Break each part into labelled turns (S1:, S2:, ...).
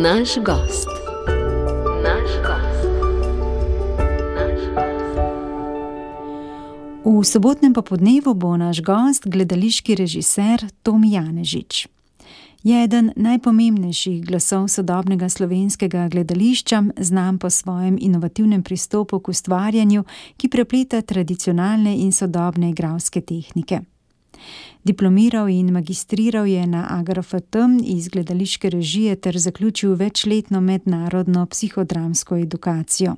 S1: Naš gost.
S2: V sobotnem popoldnevu bo naš gost gledališki režiser Tomi Janežič. Je eden najpomembnejših glasov sodobnega slovenskega gledališča, znan po svojem inovativnem pristopu k ustvarjanju, ki prepleta tradicionalne in sodobne igralske tehnike. Diplomiral in magistriral je na AGRFT iz gledališke režije ter zaključil večletno mednarodno psihodramsko edukacijo.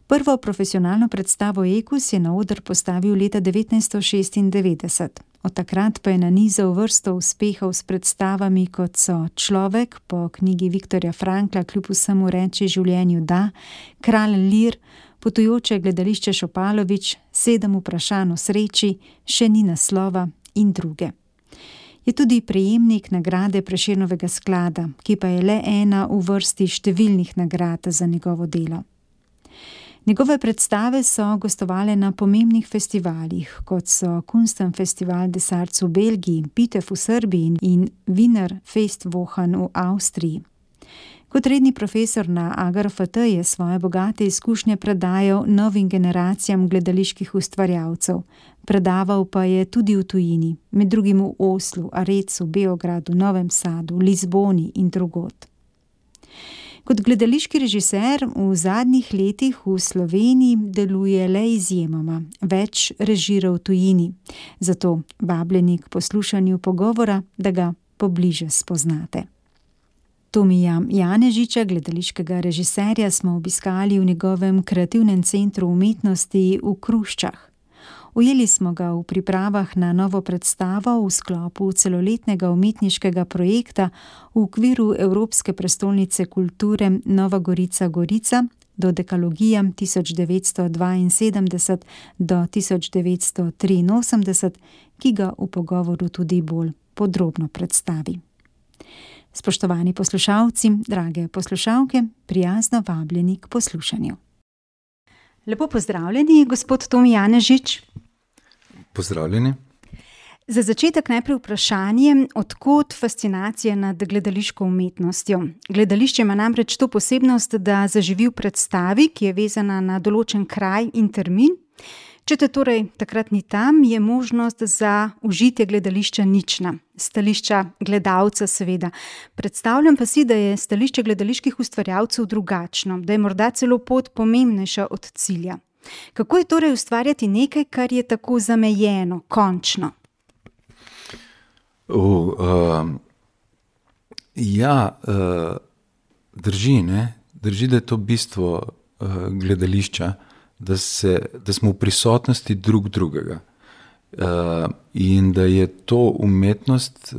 S2: Prvo profesionalno predstavo Ekus je na oder postavil leta 1996. Od takrat pa je nanizal vrsto uspehov s predstavami, kot so Človek po knjigi Viktorja Frankla Kljub vsemu reči življenju da, Kralj Lir, Potujoče gledališče Šopalovič, 7 vprašanj o sreči, Še ni naslova in druge. Je tudi prejemnik nagrade Prešernovega sklada, ki pa je le ena v vrsti številnih nagrad za njegovo delo. Njegove predstave so gostovale na pomembnih festivalih, kot so Kunstfestival des Arts v Belgiji, Pitev v Srbiji in Wiener Festwochen v Avstriji. Kot redni profesor na AGRFT je svoje bogate izkušnje predajal novim generacijam gledaliških ustvarjalcev. Predaval pa je tudi v tujini, med drugim v Oslu, Arecu, Beogradu, Novem Sadu, Lizboni in drugod. Kot gledališki režiser v zadnjih letih v Sloveniji deluje le izjemoma, več režira v tujini. Zato vabljeni k poslušanju pogovora, da ga pobliže spoznate. Tomija Janežiča, gledališkega režiserja, smo obiskali v njegovem kreativnem centru umetnosti v Kruščah. Ujeli smo ga v pripravah na novo predstavo v sklopu celoletnega umetniškega projekta v okviru Evropske prestolnice kulture Nova Gorica Dodekalogija 1972 do 1983, ki ga v pogovoru tudi bolj podrobno predstavi. Spoštovani poslušalci, drage poslušalke, prijazno vabljeni k poslušanju. Lepo pozdravljeni, gospod Tomi Janežič.
S3: Pozdravljeni.
S2: Za začetek najprej vprašanje, od kod fascinacija nad gledališko umetnostjo? Gledališče ima namreč to posebnost, da zaživi v predstavi, ki je vezana na določen kraj in termin. Če te torej takrat ni tam, je možnost za užitje gledališča nična. Stališča gledalca seveda. Predstavljam pa si, da je stališče gledaliških ustvarjalcev drugačno, da je morda celo pot pomembnejša od cilja. Kako je torej ustvarjati nekaj, kar je tako zamejeno, končno?
S3: Drži, ne? Drži, da je to bistvo gledališča, da smo v prisotnosti drug drugega. In da je to umetnost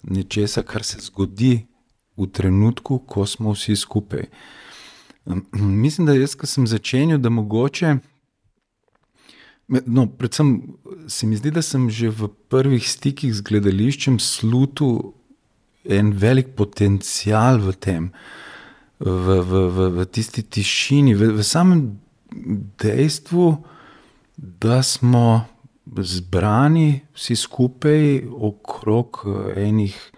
S3: nečesa, kar se zgodi v trenutku, ko smo vsi skupaj. Mislim, da jaz, ko sem začenjal, da mogoče, predvsem se mi zdi, da sem že v prvih stikih z gledališčem slutil en velik potencial v tem, v tisti tišini, v samem dejstvu, da smo zbrani vsi skupaj okrog enih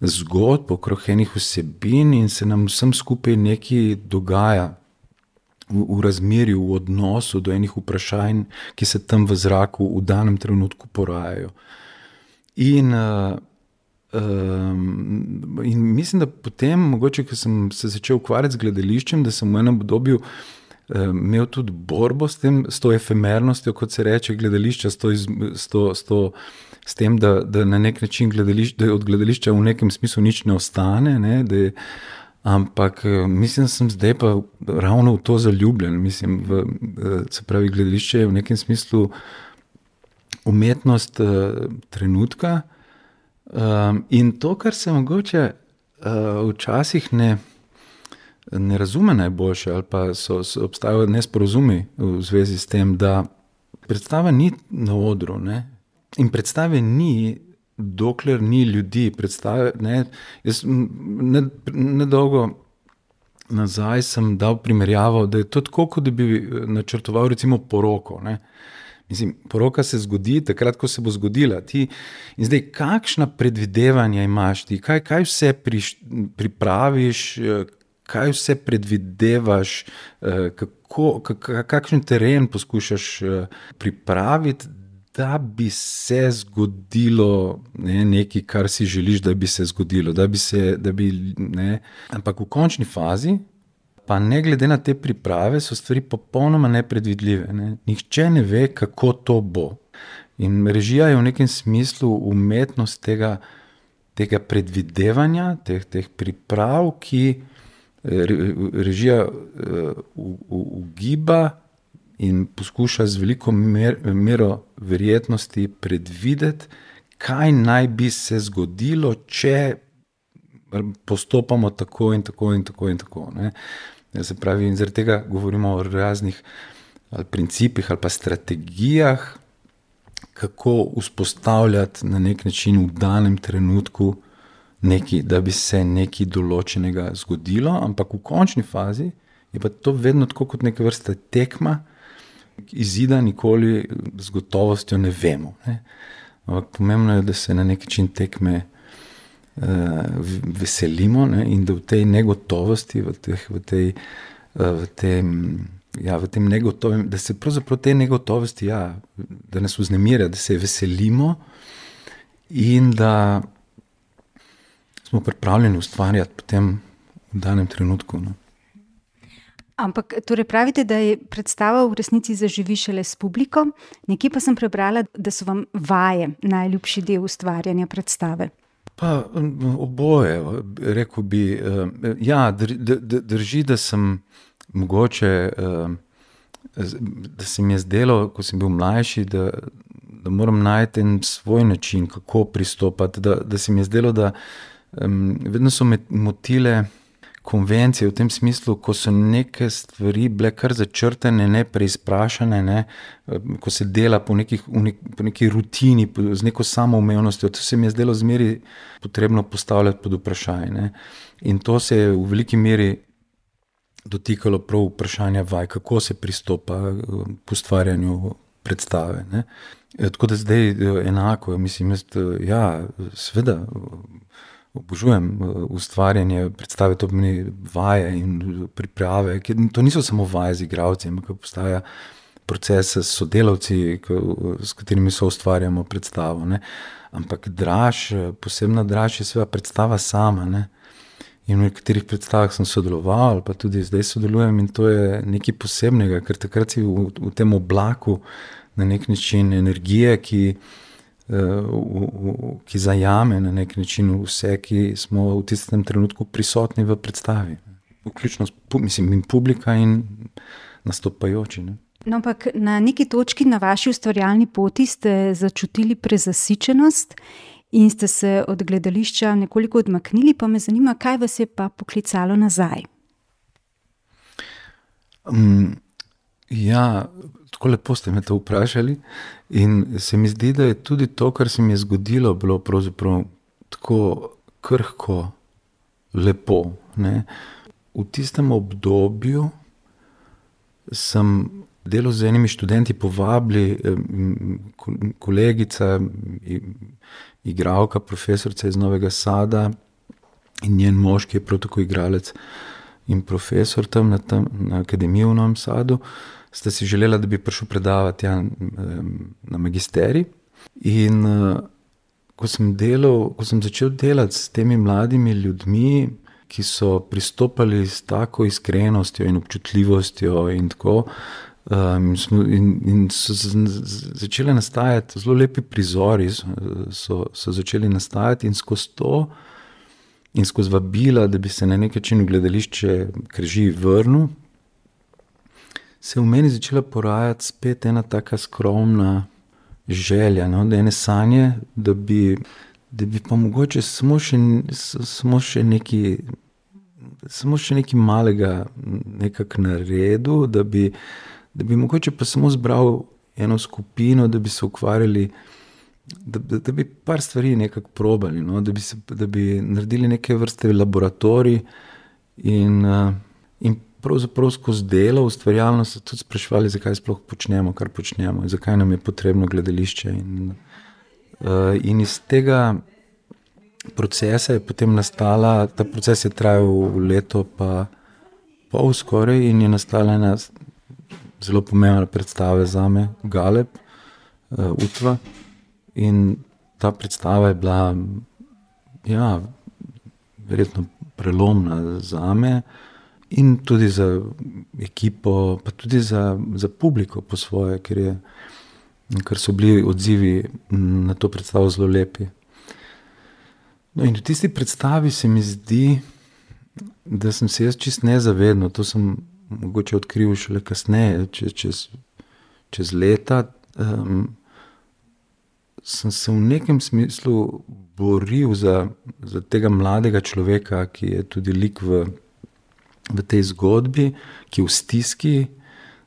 S3: zgodb, okrog enih vsebin in se nam vsem skupaj nekaj dogaja v razmerju, v odnosu do enih vprašanj, ki se tam v zraku v danem trenutku porajajo. In mislim, da potem, mogoče, ko sem se začel ukvarjati z gledališčem, da sem v enem obdobju imel tudi borbo s to efemernostjo, kot se reče, gledališča, s tem, da na nek način da od gledališča v nekem smislu nič ne ostane, ne, ampak mislim, da sem zdaj pa ravno v to zaljubljen. Mislim, se pravi, gledališče je v nekem smislu umetnost trenutka in to, kar se mogoče včasih ne razume najboljše ali pa obstajajo nesporazumi v zvezi s tem, da predstava ni na odru, ne? In predstave ni, dokler ni ljudi. Predstave, ne? Jaz nedolgo nazaj sem dal primerjavo, da je to tako, kot da bi načrtoval recimo poroko, ne? Mislim, poroka se zgodi takrat, ko se bo zgodila. In zdaj, kakšna predvidevanja imaš ti? Kaj vse pripraviš, kaj vse predvidevaš, kakšen teren poskušaš pripraviti, da bi se zgodilo nekaj, kar si želiš, da bi se zgodilo. Ampak v končni fazi, pa ne glede na te priprave, so stvari popolnoma nepredvidljive. Nihče ne ve, kako to bo. In režija je v nekem smislu umetnost tega predvidevanja, teh priprav, ki režija ugiba in poskuša z veliko mero verjetnosti predvideti, kaj naj bi se zgodilo, če postopamo tako in tako in tako in tako. Se pravi, in zaradi tega govorimo o raznih ali principih ali pa strategijah, kako vzpostavljati na nek način v danem trenutku nekaj, da bi se nekaj določenega zgodilo, ampak v končni fazi je pa to vedno tako kot neka vrsta tekma, izida nikoli z gotovostjo ne vemo. Ampak pomembno je, da se na nek način tekme veselimo, in da v tej negotovosti, v tem negotovem, da se pravzaprav te negotovosti, da nas vznemirja, da se veselimo in da smo pripravljeni ustvarjati potem v danem trenutku.
S2: Ampak torej pravite, da je predstava v resnici zaživi šele s publiko, nekje pa sem prebrala, da so vam vaje najljubši del ustvarjanja predstave.
S3: Pa oboje, rekel bi, drži, da sem mogoče, da se mi je zdelo, ko sem bil mlajši, da moram najti en svoj način, kako pristopati, da se mi je zdelo, da vedno so me motile konvencije v tem smislu, ko so neke stvari bile kar začrtane, ne preizprašane, ko se dela po neki rutini, z neko samoumevnostjo, to se mi je zdelo zmeri potrebno postavljati pod vprašaj. In to se je v veliki meri dotikalo prav vprašanja vaj, kako se pristopa k ustvarjanju predstave. Tako da zdaj enako, mislim, seveda obožujem ustvarjanje predstave, to pomeni vaje in priprave, to niso samo vaje z igralci, ampak obstaja proces s sodelavci, s katerimi soustvarjamo predstavo. Ampak posebna draž je seveda predstava sama. In v nekaterih predstavah sem sodeloval, ali pa tudi zdaj sodelujem, in to je nekaj posebnega, ker takrat si v tem oblaku na nek način energije, ki zajame na nek način vse, ki smo v tistem trenutku prisotni v predstavi. Vključno in publika in nastopajoči.
S2: No, ampak na neki točki na vaši ustvarjalni poti ste začutili prezasičenost in ste se od gledališča nekoliko odmaknili, pa me zanima, kaj vas je pa poklicalo nazaj?
S3: Tako lepo ste me to vprašali in se mi zdi, da je tudi to, kar se mi je zgodilo, bilo pravzaprav tako krhko lepo. V tistem obdobju sem delal z enimi študenti, povabili kolegica, igralka, profesorica iz Novega Sada in njen mož, ki je prav tako igralec in profesor tam na akademiji v Novem Sadu, sta si želela, da bi prišel predavati na magisterij. In ko sem začel delati s temi mladimi ljudmi, ki so pristopali s tako iskrenostjo in občutljivostjo in tako, in so začeli nastajati zelo lepi prizori, so začeli nastajati in skozi to in skozi vabila, da bi se na nek način v gledališče Krži vrnil, se je v meni začela porajati spet ena taka skromna želja, ene sanje, da bi pa mogoče samo še nekaj malega nekako naredil, da bi mogoče pa samo zbral eno skupino, da bi se ukvarjali, da bi par stvari nekako probali, da bi naredili neke vrste laboratorij in pravzaprav skozi delo, ustvarjalno se tudi spraševali, zakaj sploh počnemo, kar počnemo, zakaj nam je potrebno gledališče. In iz tega procesa je potem nastala, ta proces je trajal leto pa pol skoraj in je nastala ena zelo pomembna predstava zame, Galeb, Utva. In ta predstava je bila, ja, verjetno prelomna zame in tudi za ekipo, pa tudi za publiko po svoje, ker so bili odzivi na to predstavo zelo lepi. No, in v tisti predstavi se mi zdi, da sem se jaz čisto nezavedno, to sem mogoče odkril šele kasneje, čez leta, sem se v nekem smislu boril za tega mladega človeka, ki je tudi lik v tej zgodbi, ki je v stiski,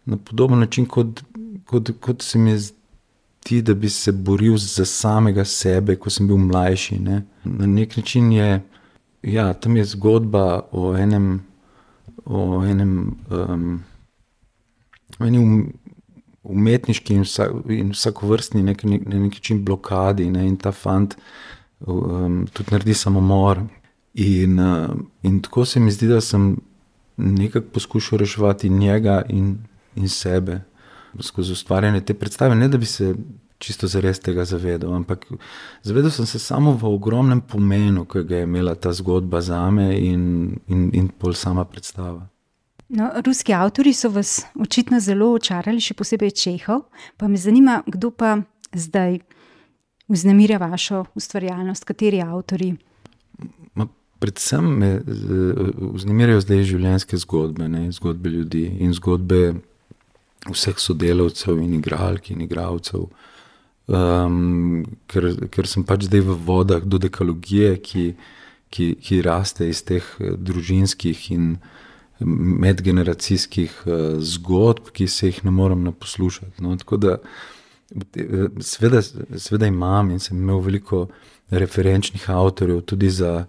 S3: na podoben način, kot se mi zdi, da bi se boril za samega sebe, ko sem bil mlajši. Ne? Na nek način je, ja, tam je zgodba o enem umetniški in vsakovrstni na nek način blokadi, ne? In ta fant tudi naredi samomor. In tako se mi zdi, da sem nekako poskušal reševati njega in sebe skozi ustvarjanje te predstave, ne da bi se čisto zares tega zavedal, ampak zavedal sem se samo v ogromnem pomenu, ki ga je imela ta zgodba zame in pol sama predstava.
S2: No, ruski avtorji so vas očitno zelo očarali, še posebej Čehov, pa me zanima, kdo pa zdaj vznemirja vašo ustvarjalnost, kateri avtorji?
S3: Predvsem me vznemirjajo zdaj življenjske zgodbe, ne? Zgodbe ljudi in zgodbe vseh sodelavcev in igralk in igralcev, ker sem pač zdaj v vodah dodekalogije, ki raste iz teh družinskih in medgeneracijskih zgodb, ki se jih ne morem naposlušati. No, tako da seveda imam in sem imel veliko referenčnih avtorjev tudi za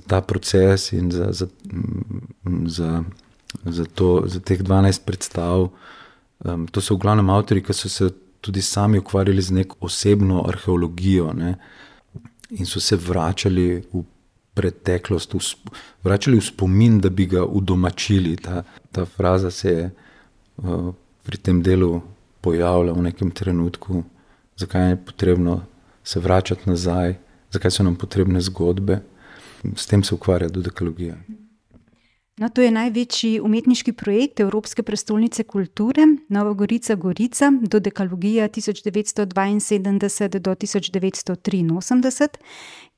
S3: ta proces in za teh 12 predstav. To so v glavnem avtorji, ki so se tudi sami ukvarjali z neko osebno arheologijo, ne? In so se vračali v preteklost, vračali v spomin, da bi ga udomačili. Ta fraza se je pri tem delu pojavila v nekem trenutku, zakaj je potrebno se vračati nazaj, zakaj so nam potrebne zgodbe. S tem se ukvarja dodekalogija.
S2: No, to je največji umetniški projekt Evropske prestolnice kulture, Nova Gorica Gorica, dodekalogija 1972 do 1983,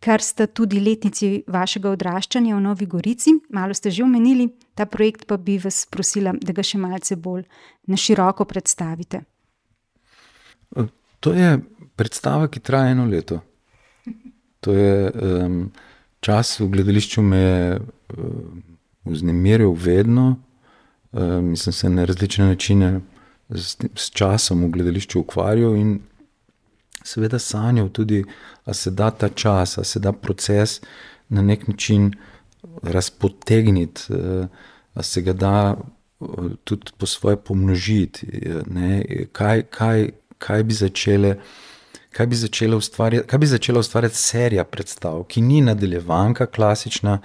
S2: kar sta tudi letnici vašega odraščanja v Novi Gorici. Malo ste že omenili, ta projekt pa bi vas prosila, da ga še malce bolj na široko predstavite.
S3: To je predstava, ki traja 1 leto. To je čas v gledališču me je vznemiril vedno, mislim se na različne načine s časom v gledališču ukvarjal in seveda sanjal tudi, a se da ta čas, a se da proces na nek način razpotegniti, a se ga da tudi po svoje pomnožiti, ne? Kaj bi začela ustvarjati serija predstav, ki ni nadaljevanka klasična,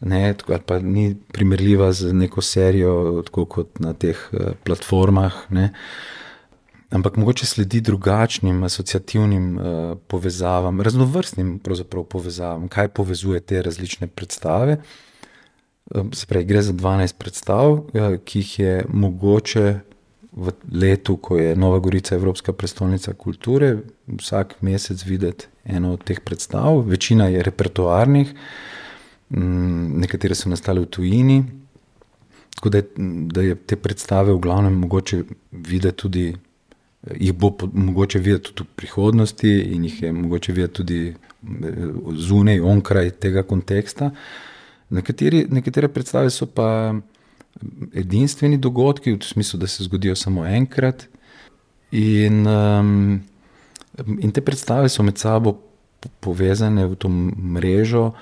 S3: ne, ali pa ni primerljiva z neko serijo, tako kot na teh platformah, ne, ampak mogoče sledi drugačnim asociativnim povezavam, raznovrstnim pravzaprav povezavam, kaj povezuje te različne predstave. Se pravi, gre za 12 predstav, ki jih je mogoče v letu, ko je Nova Gorica Evropska prestolnica kulture, vsak mesec videti eno od teh predstav. Večina je repertoarnih, nekatere so nastale v tujini, tako da je te predstave v glavnem mogoče videti tudi, jih bo mogoče videti tudi v prihodnosti in jih je mogoče videti tudi zunaj, onkraj tega konteksta. Nekatere predstave so pa edinstveni dogodki, v smislu, da se zgodijo samo enkrat in te predstave so med sabo povezane v to mrežo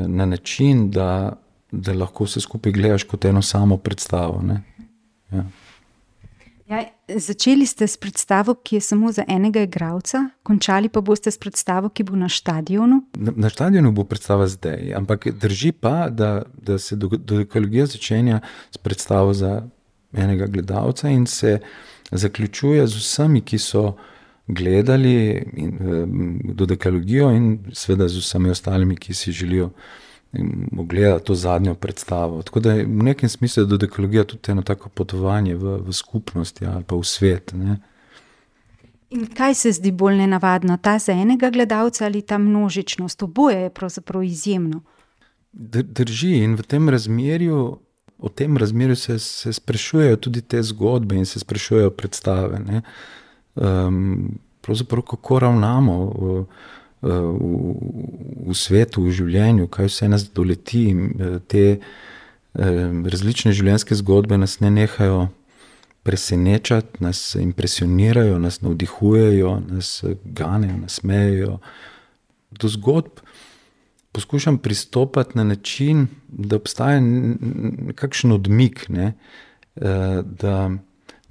S3: na način, da da lahko vse skupaj gledaš kot eno samo predstavo. Ne? Ja.
S2: Ja, začeli ste s predstavo, ki je samo za enega igralca, končali pa boste s predstavo, ki bo na štadionu.
S3: Na štadionu bo predstava zdaj, ampak drži pa, da se dodekologija začenja s predstavo za enega gledalca in se zaključuje z vsemi, ki so gledali dodekalogijo in seveda z vsemi ostalimi, ki si želijo ogledati to zadnjo predstavo. Tako da v nekem smislu je dodekologija tudi eno tako potovanje v skupnosti ali pa v svet. Ne?
S2: In kaj se zdi bolj nenavadno, ta za enega gledalca ali ta množičnost? Oboje je pravzaprav izjemno.
S3: Drži in v tem razmerju, o tem razmerju se sprašujejo tudi te zgodbe in se sprašujejo predstave. Ne? Pravzaprav kako ravnamo v svetu, v življenju, kaj vse nas doleti, te različne življenjske zgodbe nas ne nehajo presenečati, nas impresionirajo, nas navdihujejo, nas ganejo, nasmejejo. Do zgodb poskušam pristopati na način, da obstaja nekakšen odmik, ne? Da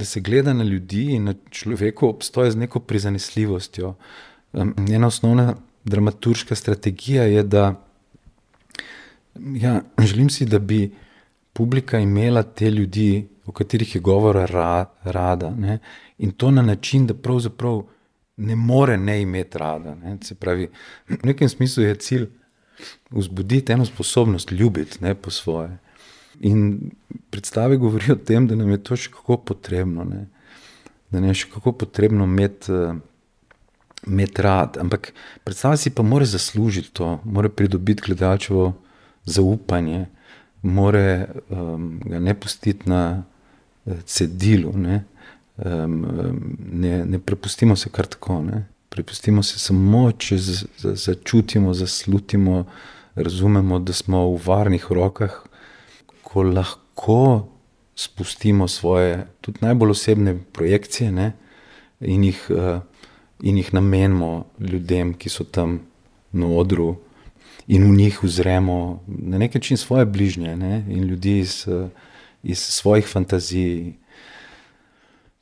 S3: se gleda na ljudi in na človeku obstoja z neko prizanesljivostjo. Njena osnovna dramaturška strategija je, da želim si, da bi publika imela te ljudi, o katerih je govora rada. Ne? In to na način, da pravzaprav ne more ne imeti rada. Ne? Se pravi, v nekem smislu je cilj vzbuditi eno sposobnost ljubiti, ne, po svoje. In predstave govorijo o tem, da nam je to še kako potrebno. Ne? Da nam je še kako potrebno imeti rad. Ampak predstava si pa mora zaslužiti to, mora pridobiti gledalčevo zaupanje, mora ga ne pustiti na cedilu. Ne? Ne prepustimo se kar tako. Ne? Prepustimo se samo, če začutimo, zaslutimo, razumemo, da smo v varnih rokah, ko lahko spustimo svoje, tudi najbolj osebne projekcije, ne? In jih namenimo ljudem, ki so tam na odru, in v njih uzremo na nek način svoje bližnje, ne? In ljudi iz svojih fantazij.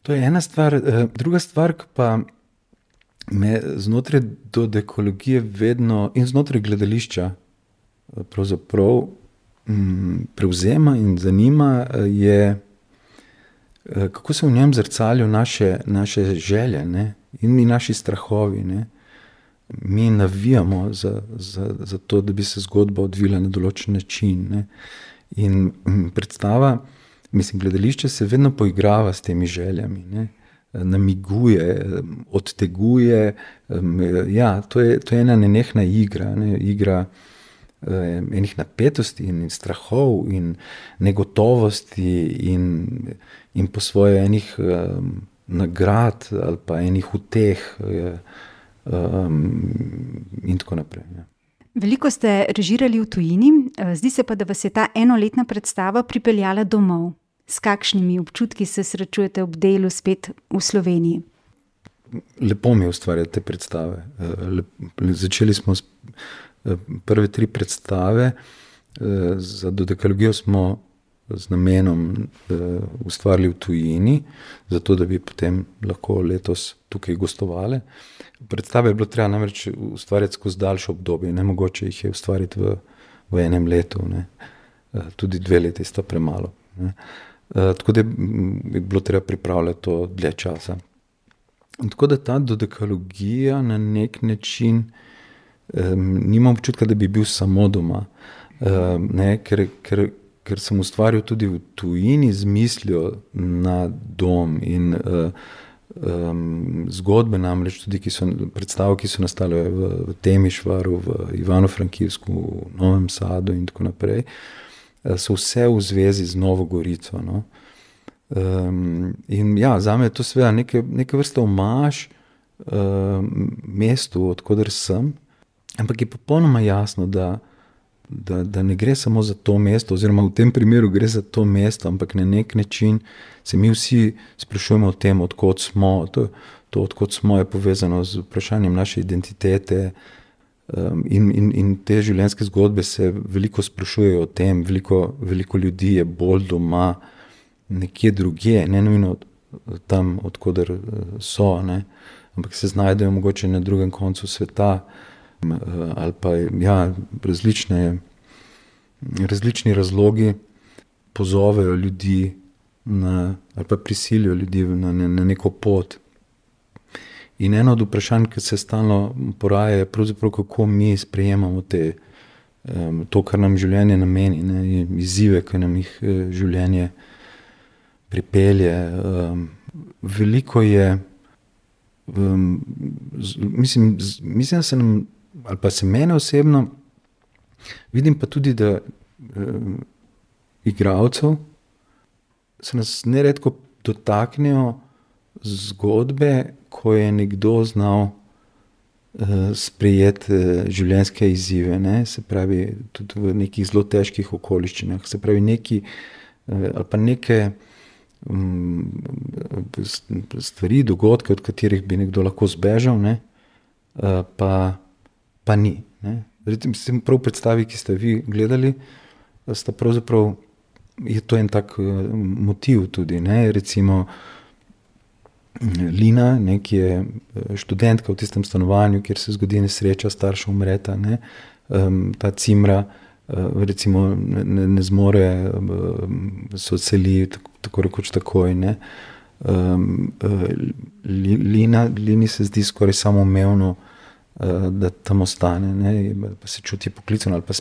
S3: To je ena stvar. Druga stvar, ki pa me znotraj dodekologije vedno in znotraj gledališča pravzaprav prevzema in zanima, je, kako se v njem zrcalijo naše želje, ne? In naši strahovi. Ne? Mi navijamo za to, da bi se zgodba odvila na določen način. Ne? In predstava, gledališče se vedno poigrava s temi željami. Ne? Namiguje, odteguje. To je ena nenehna igra. Ne? Igra enih napetosti in strahov in negotovosti in po svoje enih nagrad ali pa enih uteh in tako naprej. Ja.
S2: Veliko ste režirali v tujini, zdi se pa, da vas je ta enoletna predstava pripeljala domov. S kakšnimi občutki se srečujete ob delu spet v Sloveniji?
S3: Lepo mi je ustvarjati te predstave. Začeli smo s prve 3 predstave. Za dodekalogijo smo z namenom ustvarili v tujini, zato da bi potem lahko letos tukaj gostovali. Predstave je bilo treba namreč ustvarjati skozi daljše obdobje. Nemogoče jih je ustvariti v enem letu. Ne. Tudi 2 leti sta premalo. Ne. Tako da je bilo treba pripravljati to dlje časa. Tako da ta dodekalogija na nek način nimam občutka, da bi bil samo doma. Ne, ker sem ustvaril tudi v tujini z mislijo na dom in zgodbe namreč tudi, predstave, ki so nastale v Temišvaru, v Ivano-Frankivsku, v Novem Sadu in tako naprej, so vse v zvezi z Novo Gorico. No. In ja, zame je to seveda neke vrste omaž mestu, odkoder sem, ampak je popolnoma jasno, da ne gre samo za to mesto, oziroma v tem primeru gre za to mesto, ampak na nek način se mi vsi sprašujemo o tem, odkot smo. To odkot smo je povezano z vprašanjem naše identitete, In te življenjske zgodbe se veliko sprašujejo o tem, veliko ljudi je bolj doma nekje drugje, ne nujno tam, odkoder so, ne, ampak se znajdejo mogoče na drugem koncu sveta, ali pa različni razlogi pozovejo ljudi ali pa prisilijo ljudi na neko pot. In eno od vprašanj, ki se stalno poraja, je pravzaprav, kako mi sprejemamo to, kar nam življenje nameni, ne, izzive, ki nam jih življenje pripelje. Veliko je, mislim, da se nam, ali pa se mene osebno, vidim pa tudi, da igralcev se nas neredko dotaknejo zgodbe, ko je nekdo znal sprejeti življenjske izzive, ne? Se pravi, tudi v nekih zelo težkih okoliščinah, se pravi ali pa neke stvari, dogodke, od katerih bi nekdo lahko zbežal, ne? Pa ni, ne? Recimo prav predstavi, ki ste vi gledali, sta pravzaprav, je to en tak motiv tudi, ne? Recimo Lina, ne, ki je študentka v tistem stanovanju, kjer se zgodi nesreča, starša umreta, ne? Ta Cimra recimo ne zmore se odseli tako rekoč takoj, ne? Lini se zdi skoraj samoumevno, da tam ostane, ne? Pa se čuti poklicano ali pa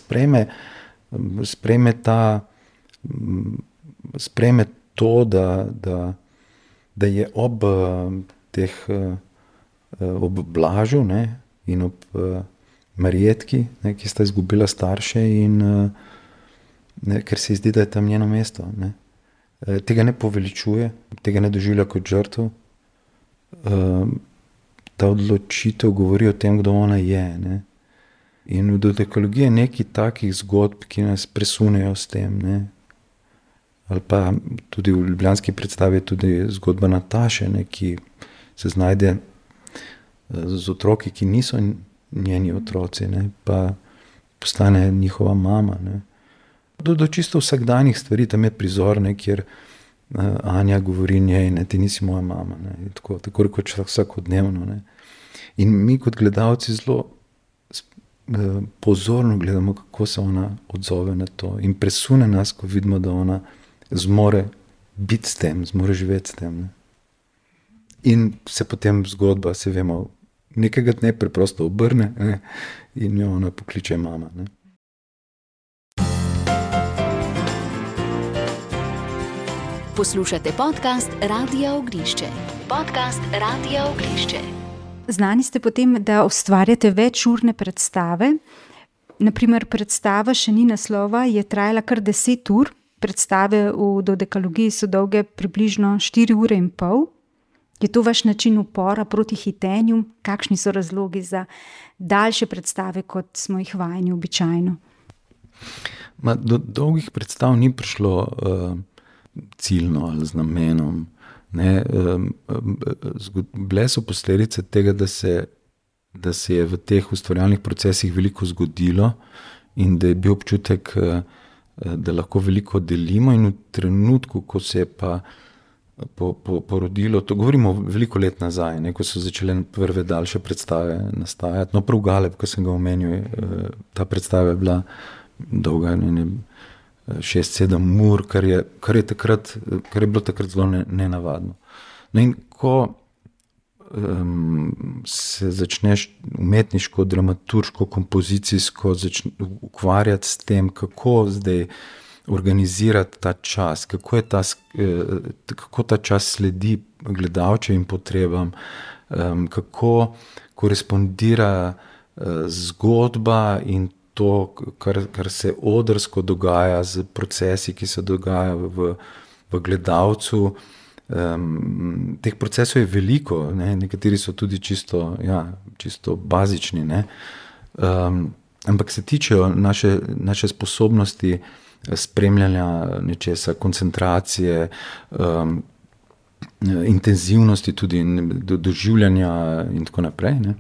S3: sprejme to, da je ob Blažu, ne, in ob Marjetki, ne, ki sta izgubila starše in ne, ker se ji zdi, da je tam njeno mesto, ne. Tega ne poveličuje, tega ne doživlja kot žrtev. Ta odločitev govori o tem, kdo ona je, ne. In v dodekologiji je nekaj takih zgodb, ki nas presunejo s tem, ne. Ali pa tudi v ljubljanski predstavi je tudi zgodba Nataše, ne, ki se znajde z otroki, ki niso njeni otroci, ne, pa postane njihova mama, ne. Do čisto vsakdanjih stvari, tam je prizor, ne, kjer Anja govori njej, ne, ti nisi moja mama, ne, tako rekoč vsakodnevno, ne. In mi kot gledalci zelo pozorno gledamo, kako se ona odzove na to, in presune nas, ko vidimo, da ona zmore biti s tem, zmore živeti s tem, ne. In se potem zgodba, se vemo, nekega dne preprosto obrne, ne, in jo ona pokliče mama, ne.
S1: Poslušate podcast Radia Oglišče. Podcast Radia Oglišče.
S2: Znani ste potem, da ustvarjate večurne predstave. Naprimer, predstava Še ni naslova je trajala kar 10 ur. Predstave v dodekalogiji so dolge približno 4 ure in pol. Je to vaš način upora proti hitenju? Kakšni so razlogi za daljše predstave, kot smo jih vajeni običajno?
S3: Do dolgih predstav ni prišlo ciljno ali z namenom. Ne, bile so posledice tega, da se je v teh ustvarjalnih procesih veliko zgodilo in da je bil občutek, da lahko veliko delimo, in v trenutku, ko se je pa porodilo, to govorimo veliko let nazaj, ne, ko so začele prve daljše predstave nastajati. No, prav Galeb, ko sem ga omenil, ta predstava je bila dolga 6-7 ur, kar je bilo takrat zelo nenavadno. No, in ko se začneš umetniško, dramaturško, kompozicijsko ukvarjati s tem, kako zdaj organizirati ta čas, kako ta čas sledi gledalčevim potrebam, kako korespondira zgodba in to, kar se odrsko dogaja z procesi, ki se dogajajo v gledalcu. Teh procesov je veliko, ne? Nekateri so tudi čisto bazični, ne? Ampak se tičejo naše sposobnosti spremljanja nečesa, koncentracije, intenzivnosti tudi, doživljanja in tako naprej, ne?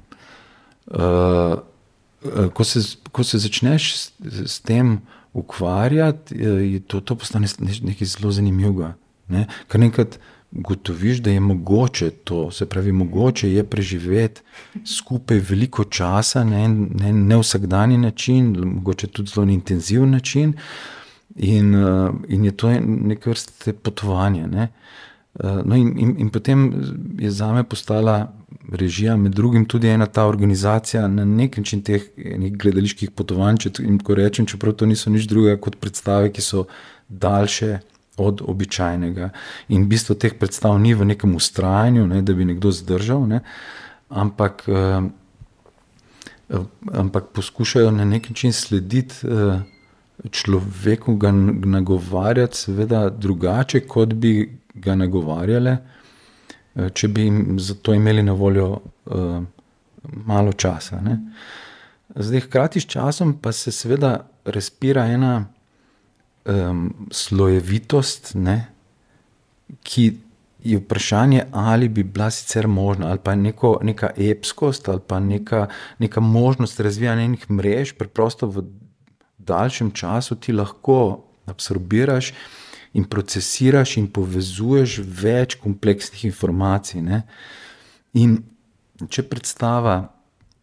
S3: ko se začneš s tem ukvarjati, to postane nekaj zelo zanimivega. Ne? Kar nekrat gotoviš, da je mogoče to, se pravi, mogoče je preživeti skupaj veliko časa na ne vsakdanji način, mogoče tudi zelo intenziven način, in je to neke vrste potovanje. Ne? No in potem je zame postala režija, med drugim tudi ena ta organizacija na nek način teh gledaliških potovanj, ko rečem, čeprav to niso nič drugega kot predstave, ki so daljše od običajnega. In bistvo teh predstav ni v nekem vztrajanju, ne, da bi nekdo zdržal, ne, ampak poskušajo na nek način slediti človeku, ga nagovarjati seveda drugače, kot bi ga nagovarjale, če bi jim za to imeli na voljo malo časa. Ne. Zdaj, hkrati s časom pa se seveda razpira ena slojevitost, ne, ki je vprašanje, ali bi bila sicer možna, ali pa neka epskost, ali pa neka možnost razvijanja enih mrež, preprosto v daljšem času ti lahko absorbiraš in procesiraš in povezuješ več kompleksnih informacij. Ne. In če predstava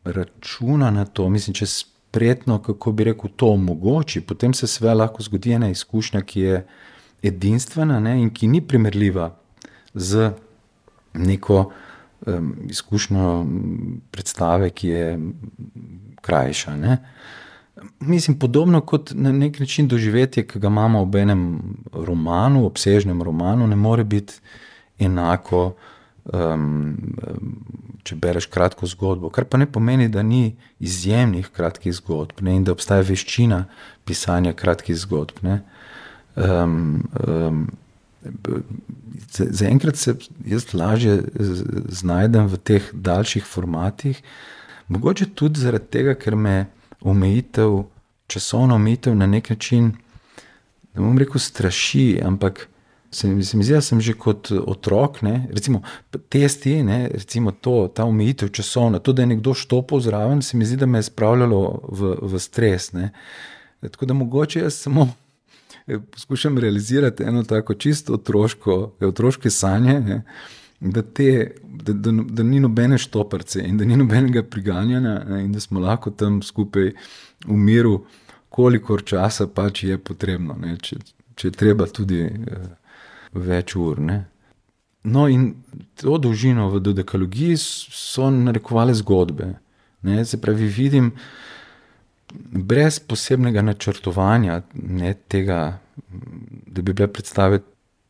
S3: računa na to, mislim, če spretno, kako bi rekel, to omogoči, potem se sve lahko zgodi ena izkušnja, ki je edinstvena, ne, in ki ni primerljiva z neko izkušnjo predstave, ki je krajša. Ne. Mislim, podobno kot na nek način doživetje, ki ga imamo ob enem romanu, obsežnem romanu, ne more biti enako, če bereš kratko zgodbo, kar pa ne pomeni, da ni izjemnih kratkih zgodb, ne, in da obstaja veščina pisanja kratkih zgodb. Ne. Zaenkrat se jaz lažje znajdem v teh daljših formatih, mogoče tudi zaradi tega, ker me časovna omejitev na nek način, ne bom rekel straši, ampak se mi zdi, da sem že kot otrok, ne, recimo testi, ne, recimo ta omejitev časovna, to, da je nekdo štopal zraven, se mi zdi, da me je spravljalo v stres. Ne. Tako da mogoče jaz samo poskušam realizirati eno tako čisto otroške sanje, ne, da ni nobene štoparce in da ni nobenega priganjanja, ne, in da smo lahko tam skupaj v miru, kolikor časa pač je potrebno, ne, če je treba tudi več ur. Ne. No, in to dolžino v dodekalogiji so narekovale zgodbe. Ne, se pravi, vidim, brez posebnega načrtovanja, ne, tega, da bi bile predstave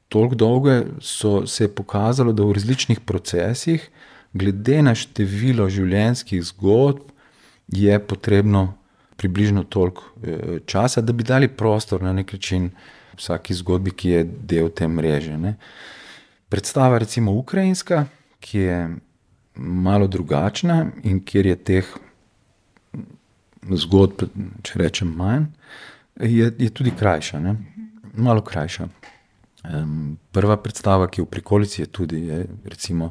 S3: toliko dolge, se je pokazalo, da v različnih procesih, glede na število življenjskih zgodb, je potrebno približno toliko časa, da bi dali prostor na nek način vsaki zgodbi, ki je del te mreže. Ne. Predstava recimo ukrajinska, ki je malo drugačna in kjer je teh zgodb, če rečem manj, je tudi krajša, ne. Malo krajša. Prva predstava, ki je v prikolici, je tudi, recimo,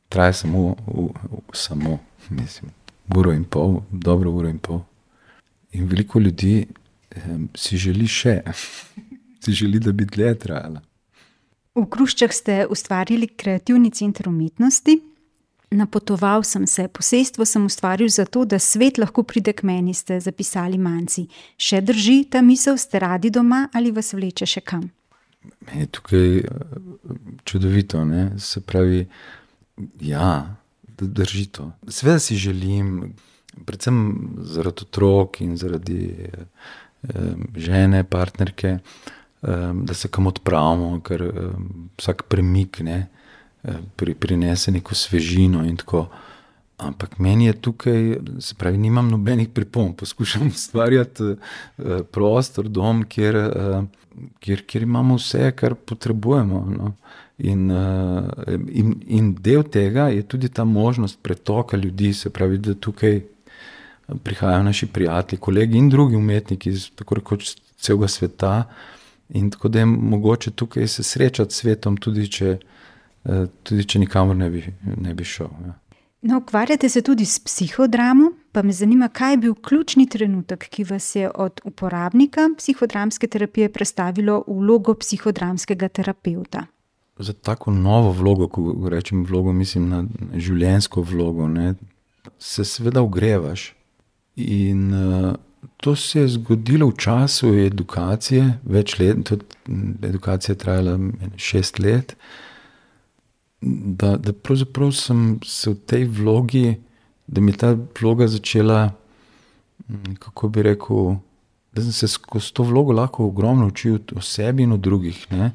S3: traja samo, mislim, uro in pol, dobro uro in pol. In veliko ljudi si želi še, si želi, da bi dlje trajala.
S2: V Hruščah ste ustvarili kreativni center umetnosti. Napotoval sem se, posestvo sem ustvaril zato, da svet lahko pride k meni, ste zapisali Manci. Še drži ta misel, ste radi doma ali vas vleče še kam?
S3: Meni je tukaj čudovito, ne? Se pravi, ja, drži to. Seveda si želim, predvsem zaradi otrok in zaradi žene, partnerke, da se kam odpravimo, ker vsak premik, ne, prinese neko svežino in tako. Ampak meni je tukaj, se pravi, nimam nobenih pripomb, poskušam ustvarjati prostor, dom, kjer imamo vse, kar potrebujemo. No. In del tega je tudi ta možnost pretoka ljudi, se pravi, da tukaj prihajajo naši prijatelji, kolegi in drugi umetniki iz tako rekoč celega sveta, in tako da je mogoče tukaj se srečati s svetom, tudi če nikamor ne bi šel. Ja.
S2: No, ukvarjate se tudi s psihodramo, Pa me zanima, kaj je bil ključni trenutek, ki vas je od uporabnika psihodramske terapije prestavilo v vlogo psihodramskega terapevta?
S3: Za tako novo vlogo, ko rečem vlogo, mislim na življenjsko vlogo, ne, se seveda ogrevaš. In to se je zgodilo v času edukacije, več let, edukacija je trajala 6 let, da pravzaprav sem se v tej vlogi, da mi je ta vloga začela, kako bi rekel, da sem se skozi to vlogo lahko ogromno učil o sebi in o drugih, ne.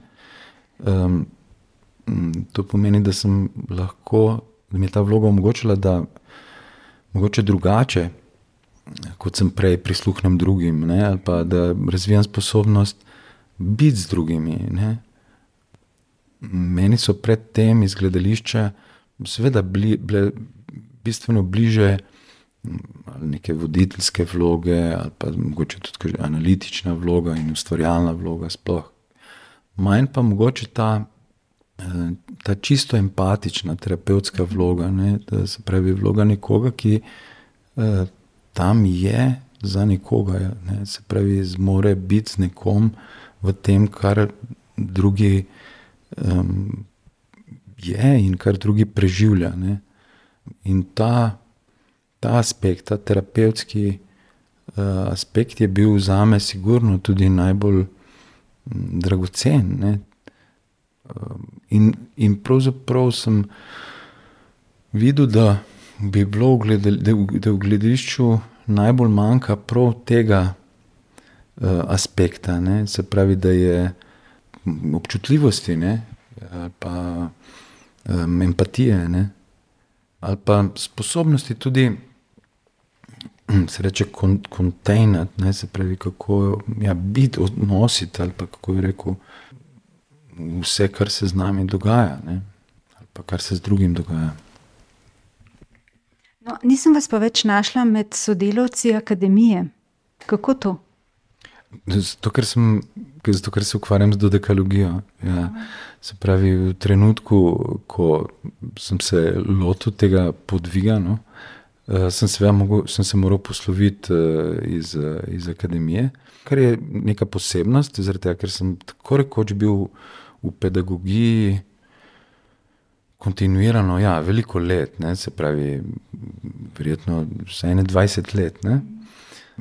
S3: To pomeni, da sem lahko, da mi je ta vloga omogočila, da mogoče drugače, kot sem prej, prisluhnem drugim, ne, ali pa da razvijam sposobnost biti z drugimi, ne. Meni so pred tem iz gledališča seveda bile bistveno bliže neke voditeljske vloge ali pa mogoče tudi analitična vloga in ustvarjalna vloga sploh. Manj pa mogoče ta čisto empatična terapevtska vloga, ne, da se pravi vloga nekoga, ki tam je za nekoga, ne, se pravi zmore biti z nekom v tem, kar drugi je in kar drugi preživlja, ne. In ta aspekt, ta terapevtski aspekt je bil zame sigurno tudi najbolj dragocen, ne. In pravzaprav sem videl, da bi bilo da v gledališču najbolj manjka prav tega aspekta, ne, se pravi, da je občutljivosti, ne, ali pa empatije, ne, ali pa sposobnosti tudi, se reče, kontejnati, ne, se pravi, kako biti, odnositi, ali pa kako bi rekel, vse, kar se z nami dogaja, ne, ali pa kar se z drugim dogaja.
S2: No, nisem vas pa več našla med sodelavci akademije. Kako to?
S3: Zato, ker se ukvarjam z dodekalogijo. Ja. Se pravi, v trenutku, ko sem se lotil tega podviga, no, sem se moral posloviti iz akademije, kar je neka posebnost, zaradi tega, ker sem tako rekoč bil v pedagogiji kontinuirano, ja, veliko let, ne, se pravi, verjetno vsaj 20 let, ne.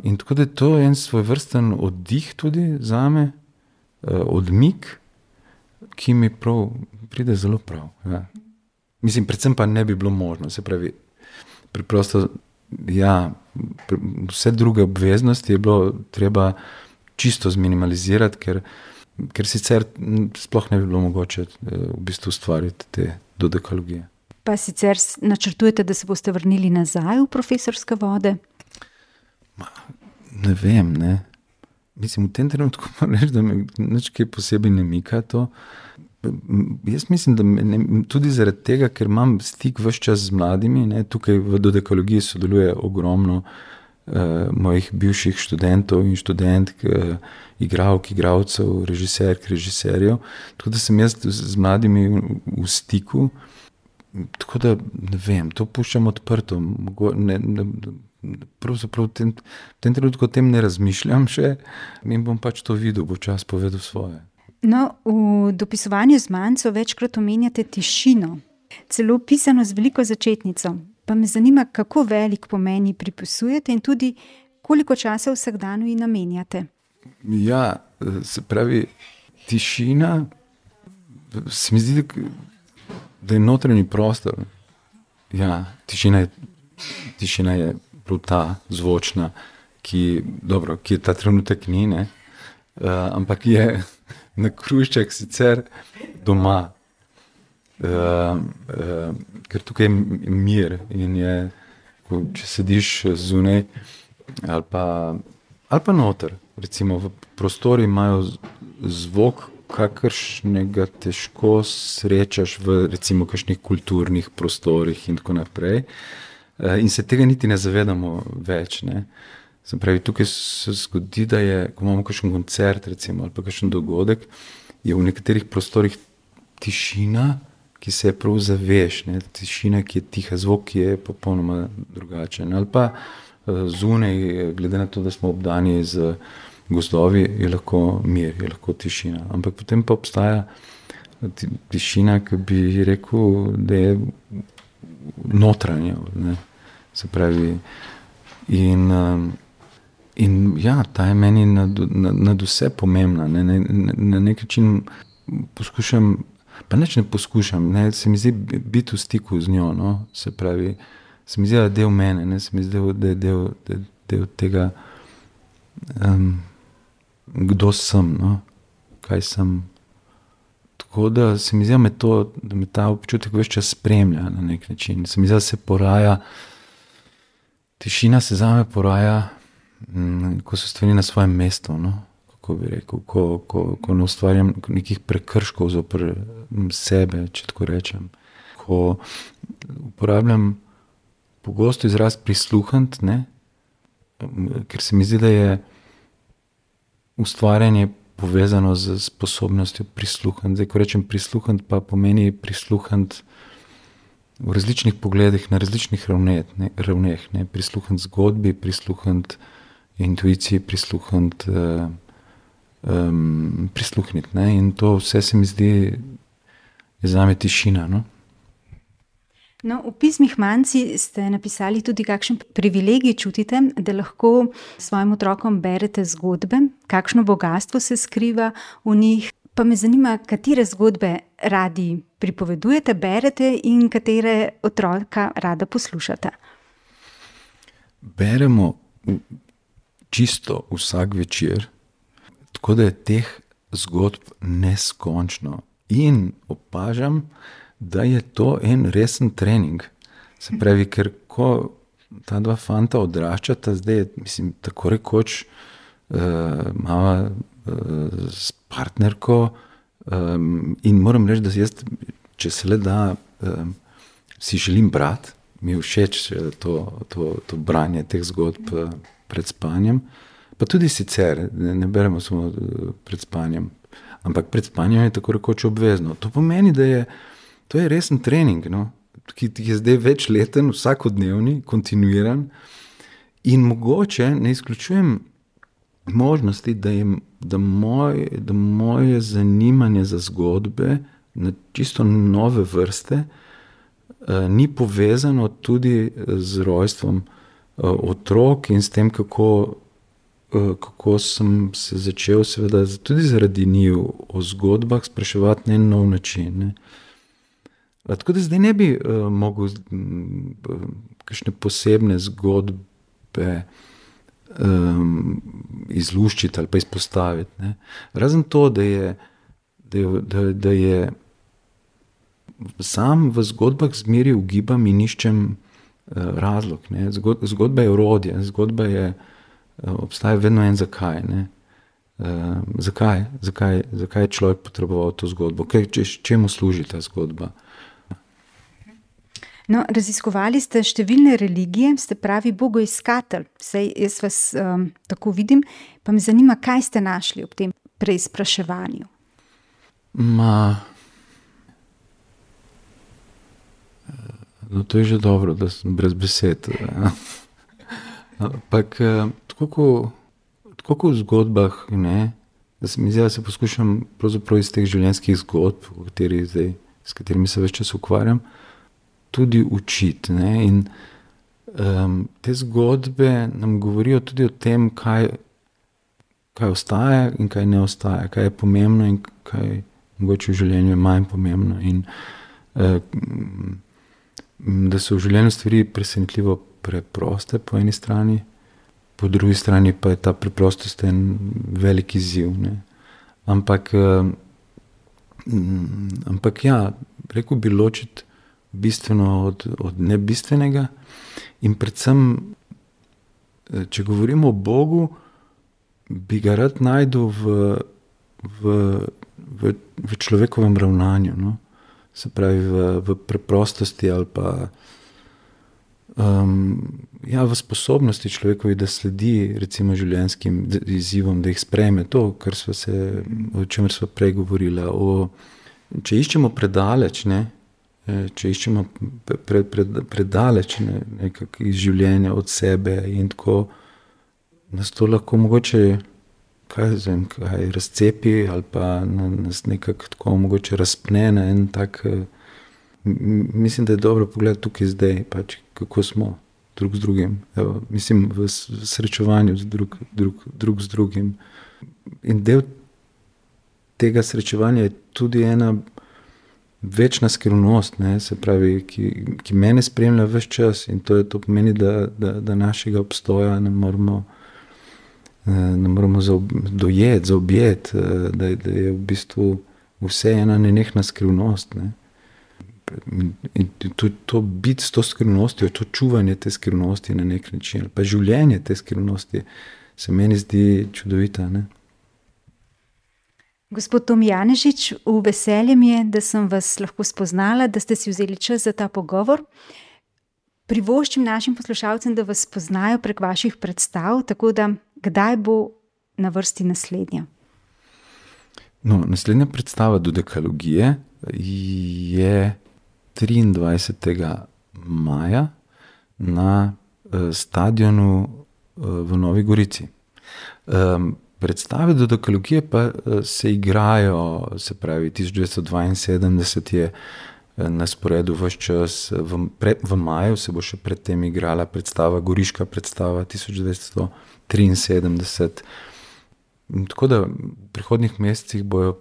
S3: In tako da je to en svojvrsten oddih tudi zame, odmik, ki mi pride zelo prav. Ja. Mislim, predvsem pa ne bi bilo možno, se pravi, preprosto, ja, vse druge obveznosti je bilo treba čisto zminimalizirati, ker sicer sploh ne bi bilo mogoče v bistvu ustvariti te dodekalogije.
S2: Pa sicer načrtujete, da se boste vrnili nazaj v profesorske vode?
S3: Ne vem, ne. Mislim, v tem trenutku moram reči, da me nič kaj posebej ne mika to. Jaz mislim, da tudi zaradi tega, ker imam stik ves čas z mladimi, ne, tukaj v dodekalogiji sodeluje ogromno mojih bivših študentov in študentk, igralk, igralcev, režiserk, režiserjev, tako da sem jaz z mladimi v stiku, tako da ne vem, to puščam odprto, pravzaprav v tem trenutku o tem ne razmišljam še in bom pač to videl, bo čas povedal svoje.
S2: No, v dopisovanju Zmanjcev večkrat omenjate tišino, celo pisano z veliko začetnico. Pa me zanima, kako velik pomen ji pripisujete in tudi koliko časa v vsakdanu ji namenjate.
S3: Ja, se pravi, tišina, se mi zdi, da je notranji prostor. Ja, tišina je prav ta zvočna, ki je ta trenutek ni, ne, ampak je na Krušček sicer doma. Ker tukaj je mir in je, če sediš zunaj ali pa noter, recimo v prostori imajo zvok, kakršnega težko srečaš v recimo kakšnih kulturnih prostorih in tako naprej. In se tega niti ne zavedamo več, ne. Se pravi, tukaj se zgodi, da je, ko imamo kakšen koncert recimo ali pa kakšen dogodek, je v nekaterih prostorih tišina, ki se je prav zaveš, ne, tišina, ki je tiha, zvok, ki je popolnoma drugačen. Ali pa zunaj, glede na to, da smo obdani z gozdovi, je lahko mir, je lahko tišina. Ampak potem pa obstaja tišina, ki bi rekel, da je notranja, ne? Se pravi, in ja, ta je meni nad vse pomembna, ne? Na nek način poskušam, pa nič ne poskušam, ne? Se mi zdi biti v stiku z njo, no? Se pravi, se mi zdi, da je del mene, ne? Se mi zdi, da je del tega, kdo sem, no? Kaj sem. Tako da se mi zdi, da me ta občutek ves čas spremlja na nek način. Se mi zdi, da se poraja, tišina se zame poraja, ko so stvari na svojem mestu, no? Kako bi rekel, ko ne ustvarjam nekih prekrškov zoper sebe, če tako rečem. Ko uporabljam pogosto izraz prisluhniti, ne? Ker se mi zdi, da je ustvarjanje povezano z sposobnostjo prisluhniti. Zdaj, ko rečem prisluhniti, pa pomeni prisluhniti v različnih pogledih, na različnih ravneh, ne? Prisluhniti zgodbi, prisluhniti intuiciji, prisluhniti, ne? In to vse se mi zdi, je zame tišina, no?
S2: No, v pismih Manci ste napisali tudi, kakšen privilegij čutite, da lahko svojim otrokom berete zgodbe, kakšno bogastvo se skriva v njih. Pa me zanima, katere zgodbe radi pripovedujete, berete in katere otroka rada poslušate.
S3: Beremo čisto vsak večer, tako da je teh zgodb neskončno. In opažam, da je to en resen trening. Se pravi, ker ko ta dva fanta odraščata, zdaj je, mislim, tako rekoč mama s partnerko, in moram reči, da jaz, če se le da, si želim brati, mi je všeč to branje teh zgodb pred spanjem, pa tudi sicer, ne beremo samo pred spanjem, ampak pred spanjem je tako rekoč obvezno. To pomeni, da to je resen trening, no? Ki je zdaj večleten, vsakodnevni, kontinuiran, in mogoče ne izključujem možnosti, da moje zanimanje za zgodbe na čisto nove vrste ni povezano tudi z rojstvom otrok in s tem, kako sem se začel seveda tudi zaradi njiju o zgodbah spraševati na en nov način, ne? Tako da zdaj ne bi mogel kakšne posebne zgodbe izluščiti ali pa izpostaviti, ne? Razen to, da je sam v zgodbah zmeri ugibam in iščem razlog, ne? Zgodba je orodje, obstaja vedno en zakaj, ne? Zakaj je človek potreboval to zgodbo? Čemu služi ta zgodba?
S2: No, raziskovali ste številne religije, ste pravi bogoiskatelj, saj jaz vas tako vidim, pa me zanima, kaj ste našli ob tem preizpraševanju.
S3: No, to je že dobro, da sem brez besed. Ampak tako kot v zgodbah, ne, da se mi zdi, da se poskušam pravzaprav iz teh življenjskih zgodb, s katerimi se več čas ukvarjam, tudi učiti, ne? In te zgodbe nam govorijo tudi o tem, kaj ostaja in kaj ne ostaja, kaj je pomembno in kaj mogoče v življenju je manj pomembno. In da so v življenju stvari presenetljivo preproste po eni strani, po drugi strani pa je ta preprostost en velik izziv, ne? Ampak ja, rekel bi ločiti bistveno od nebistvenega in predvsem, če govorimo o Bogu, bi ga rad našel v človekovem ravnanju, no? Se pravi v preprostosti ali pa v sposobnosti človekovi, da sledi recimo življenjskim izzivom, da jih sprejme, to, o čemer sva prej govorila. Če iščemo predaleč, ne, če iščemo predaleč nekako iz življenja od sebe in tako, nas to lahko mogoče kaj razcepi ali pa nas nekako tako mogoče razpne na en tak, mislim, da je dobro pogledati tukaj zdaj, pač kako smo drug z drugim, evo, mislim v srečevanju drug z drugim. In del tega srečevanja je tudi ena večna skrivnost, ne, se pravi, ki mene spremlja ves čas in to pomeni, da našega obstoja ne moramo dojeti, zaobjeti, da je v bistvu vse ena nenehna skrivnost, ne. In to biti s to skrivnostjo, to čuvanje te skrivnosti na nek način, pa življenje te skrivnosti se meni zdi čudovita, ne.
S2: Gospod Tom Janežič, v veselje mi je, da sem vas lahko spoznala, da ste si vzeli čas za ta pogovor. Privoščim našim poslušalcem, da vas spoznajo prek vaših predstav, tako da kdaj bo na vrsti naslednja?
S3: No, naslednja predstava Dodekalogije je 23. maja na stadionu v Novi Gorici. Predstave Dodekalogije pa se igrajo, se pravi 1972 je na sporedu ves čas, v maju se bo še predtem igrala predstava, goriška predstava 1973. Tako da v prihodnjih mesecih bo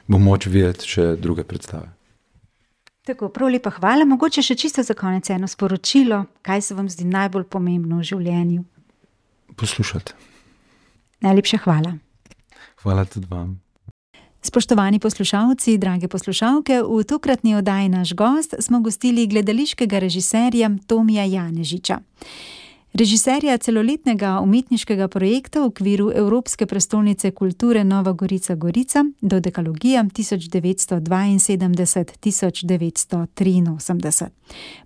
S3: moč videti še druge predstave.
S2: Tako, prav lepa hvala. Mogoče še čisto za konec eno sporočilo, kaj se vam zdi najbolj pomembno v življenju?
S3: Poslušati.
S2: Najlepša hvala.
S3: Hvala tudi vam.
S2: Spoštovani poslušalci, drage poslušalke, v tokratni oddaji Naš gost smo gostili gledališkega režiserja Tomija Janežiča. Režiserja celoletnega umetniškega projekta v okviru Evropske prestolnice kulture Nova Gorica Dodekalogija 1973-1983.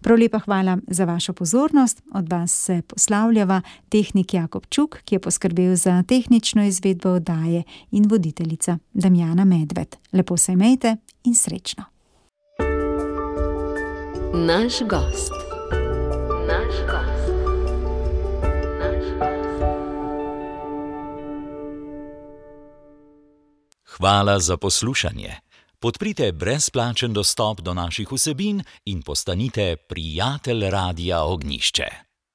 S2: Prav lepa hvala za vašo pozornost. Od vas se poslavljava tehnik Jakob Čuk, ki je poskrbel za tehnično izvedbo oddaje, in voditeljica Damjana Medved. Lepo se imejte in srečno.
S1: Naš gost.
S4: Hvala za poslušanje. Podprite brezplačen dostop do naših vsebin in postanite prijatelj Radia Ognjišče.